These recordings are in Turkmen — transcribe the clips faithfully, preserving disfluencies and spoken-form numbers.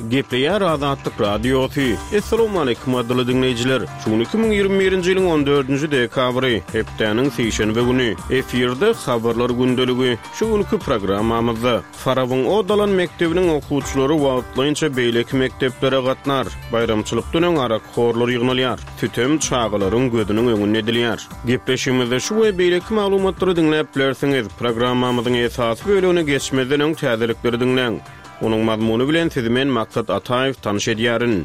Gepleýär Azatlyk Radiosy. Assalamualaikum adly diňleýjiler. Şu gün iki müň ýigrimi birinji ýylyň on dördünji dekabry, hepdäniň sişenbe güni. Efirde habarlar gündeligi. Şu günki programmamyzda Farabyň od alan mekdebiniň okuwçylary wagtlaýynça beýleki mekdeplere gatnar. Baýramçylykdan öň arak horlar ýygnalýar. Sütem çagalaryň gözüniň öňünde edilýär. Gepleşigimizde şu we beýleki maglumatlary diňläp bilersiňiz. Programmamyzyň esasy bölümine geçmezden öň täzelikleri diňläň. Onuň mazmuny bilen sizi men Maksat Ataýew tanyş edýärin.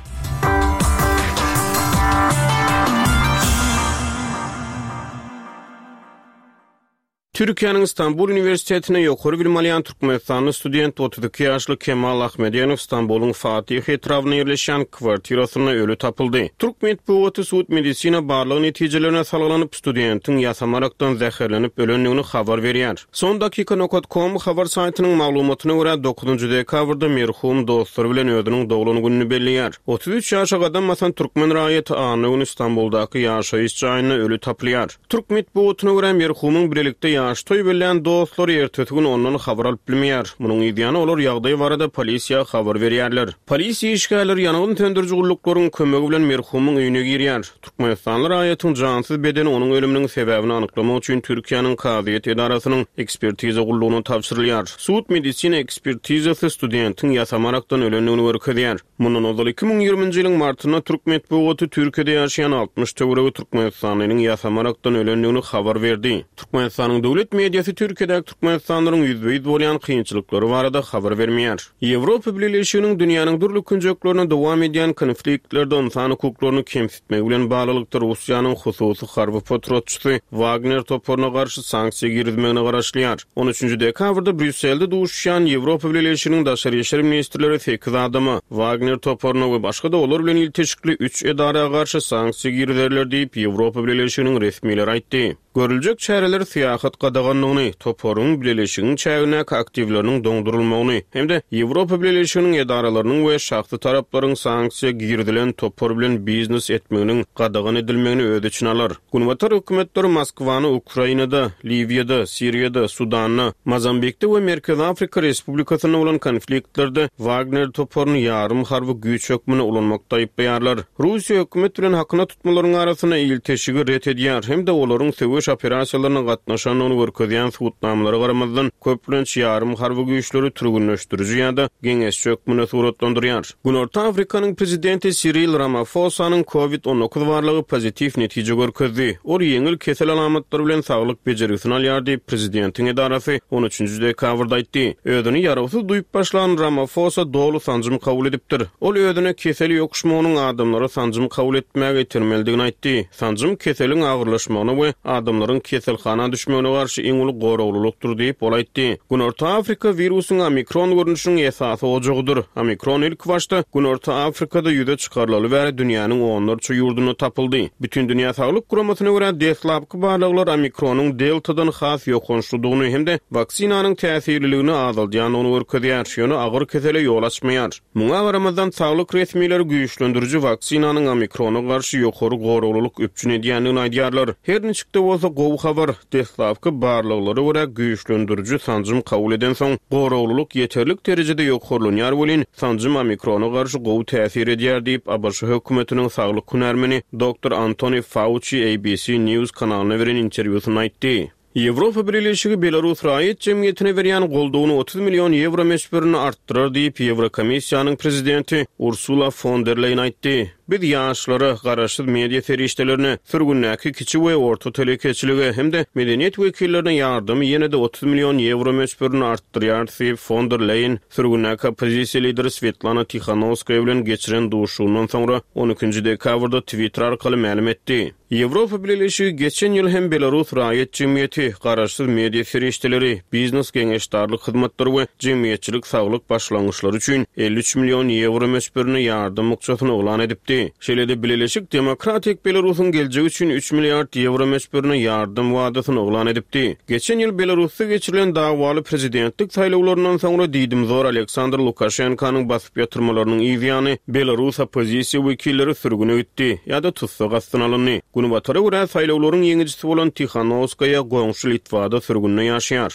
Türkiýäniň Istanbul Uniwersitetine ýokary bilim alýan Türkmenistanly student otuz iki ýaşly Kemal Ahmedenow Istanbulyň Fatih etrabynda ýerleşýän kwartirasynda öli tapyldy. Türk metbugaty sud medisina barlag netijelerine salgylanyp, studentiň ýasamarakdan zäherlenip ölendigini habar berýär. Son dakika nokta com habar saýtynyň maglumatyna görä dokuzynjy dekabrda merhum dostlary bilen özüniň doglan gününi belleýär. Otuz üç ýaşa gadam basan türkmen raýaty anna güni Istanbuldaky ýaşaýyş jaýynda öli tapylýar. Türk metbugatyna görä merhumyň birlikde ýaş toý bellän dostlary ertesi gün ondan habar alyp bilmeýär. Munuň ýany olar ýagdaý barada polisiýa habar berýärler. Polisiýa işgärleri ýangyn söndüriji gulluklaryň kömegi bilen merhumyň öýüne girýär. Türkmenistanly raýatyň jansyz bedeni onuň ölüminiň sebäbini anyklamak üçin Türkiýäniň kazyýet edarasynyň ekspertiza gullugyna tabşyrylýar. Sud medisina ekspertizasy studentiň ýasamarakdan ölendigini görkezýär. Mundan ozal iki müň ýigriminji ýylyň martynda Türk metbugaty Türkiýede ýaşaýan altmyş töweregi Türkmenistanlynyň ýasamarakdan ölendigini habar berdi. Türkmenistanyň döwlet mediasy Türkiýedäki Türkmenistanlylaryň ýüzbe-ýüz bolýan kynçylyklary barada habar bermeýär. Ýewropa Bileleşiginiň dünýäniň dürli künjeklerine dowam edýän konfliktlerde insan hukuklaryny kemsitmegi bilen baglylykda Russiýanyň hususy harby potratçysy Wagner toparyna garşy sanksiýa girizmegine garaşylýar. on üçünji dekabrda Brýusselde duşýan Ýewropa Bileleşiginiň daşary işler ministrleri sekiz adama Wagner toparyna we başga da olar bilen ilteşikli üç edara garşy sanksiýa girizerler diýip Ýewropa Bileleşiginiň resmileri aýtdy. Görüljek çäreler syýahat gadaganlygyny, toparyň bileleşigiň çägindäki aktiwleriniň doňdurylmagyny hem-de Ýewropa Bileleşiginiň edaralarynyň we şahsy taraplaryň sanksiýa girizilen topar bilen biznes etmeginiň gadagan edilmegini öz içine alar. Günbatar hökümetleri Moskwany Ukrainada, Liwiýada, Siriýada, Sudanda, Mozambikde we Merkezi Afrika Respublikasynda bolan konfliktlerde Wagner toparyny ýarym harby güýç hökmünde ulanmakda aýyplaýarlar. Russiýa hökümet bilen hakyna tutmalaryň arasynda ilteşigi ret edýär hem-de olaryň söweş operasiýalaryna gatnaşandygyny görkezýän subutnamalara garamazdan köplenç ýarym harby güýçleri türgünleşdiriji ýa-da geňeşçi hökmünde suratlandyrýar. Günorta Afrikanyň prezidenti Cyril Ramaphosanyň COVID on dokuz barlagy pozitiw netije görkezdi. Ol ýeňil kesel alamatlary bilen saglyk bejergisini alýar diýip prezidentiň edarasy on üçünji dekabrda aýtdy. Özüni ýarawsyz duýup başlan Ramaphosa doly sanjym kabul edipdir. Ol özüne kesel ýokuşmagynyň adamlara sanjym kabul etmäge itermelidigini aýtdy. Sanjym keseliň agyrlaşmagyna we adamlaryň keselhana düşmegine garşy iň uly goraglylykdyr diýip ol aýtdy. Günorta Afrika wirusyň omikron görnüşiniň esasy ojagydyr. Omikron ilk başda Günorta Afrikada ýüze çykarylaly bäri dünýäniň onlarça ýurdunda tapyldy. Bütün Dünýä Saglyk Guramasyna görä deslapky barlaglar omikronyň deltadan has ýokançlydygyny hem-de waksinanyň täsirliligini azaldýandygyny görkezýär. Ýöne agyr kesele ýol açmaýar. Muňa garamazdan saglyk resmileri güýçlendirici waksinanyň omikrona garşy ýokary goraglylyk üpjün edýändigini aýdýarlar. Her niçik-de bolsa gowy habar, deslapky barlaglara görä güýçlendirici sanjym kabul eden soň goraglylyk ýeterlik derejede ýokarlanýar welin sanjym omikrona garşy gowy täsir edýär diýip A B Ş hökümetiniň saglyk hünärmeni doktor Anthony Fauci A B C News kanalyna beren interwýusynda aýtdy. Ýewropa Bileleşigi Belarus raýat jemgyýetine berýän goldawyny otuz million ýewro möçberini artdyrar diýip Ýewrokomissiýanyň prezidenti Ursula fon der Leýen aýtdy. Biz ýaşlara, garaşsyz media serişdelerine, sürgündäki kiçi we orta telekeçilige hem-de medeniýet wekillerine ýardamy ýene-de otuz million ýewro möçberini artdyrýar diýip fon der Leýen sürgündäki oppozisiýa lideri Svetlana Tihanowskaýa bilen geçiren duşuşygyndan soňra on ikinji dekabrda Twitter arkaly mälim etdi. Ýewropa Bileleşigi geçen ýyl hem Belarus raýat jemgyýeti, garaşsyz media serişdeleri, biznes geňeşdarlyk hyzmatlary we jemgyýetçilik saglyk başlangyçlary üçin elli üç million ýewro möçberinde ýardam bukjasyny yglan edipdi. Şeýle-de Bileleşik Demokratik Belarusyň geljegi üçin üç milliard ýewro möçberinde ýardam wadasyny yglan edipdi. Geçen ýyl Belarusda geçirilen dawaly prezidentlik saýlawlaryndan soňra diýdimzor Aleksandr Lukaşenkanyň basyp ýatyrmalarynyň ýany Belarus oppozisiýa wekilleri sürgüne gitdi ýa-da tussag astyna alyndy. Günbatara görä saýlawlaryň ýeňijisi bolan Tihanowskaýa goňşy Litwada sürgünde ýaşaýar.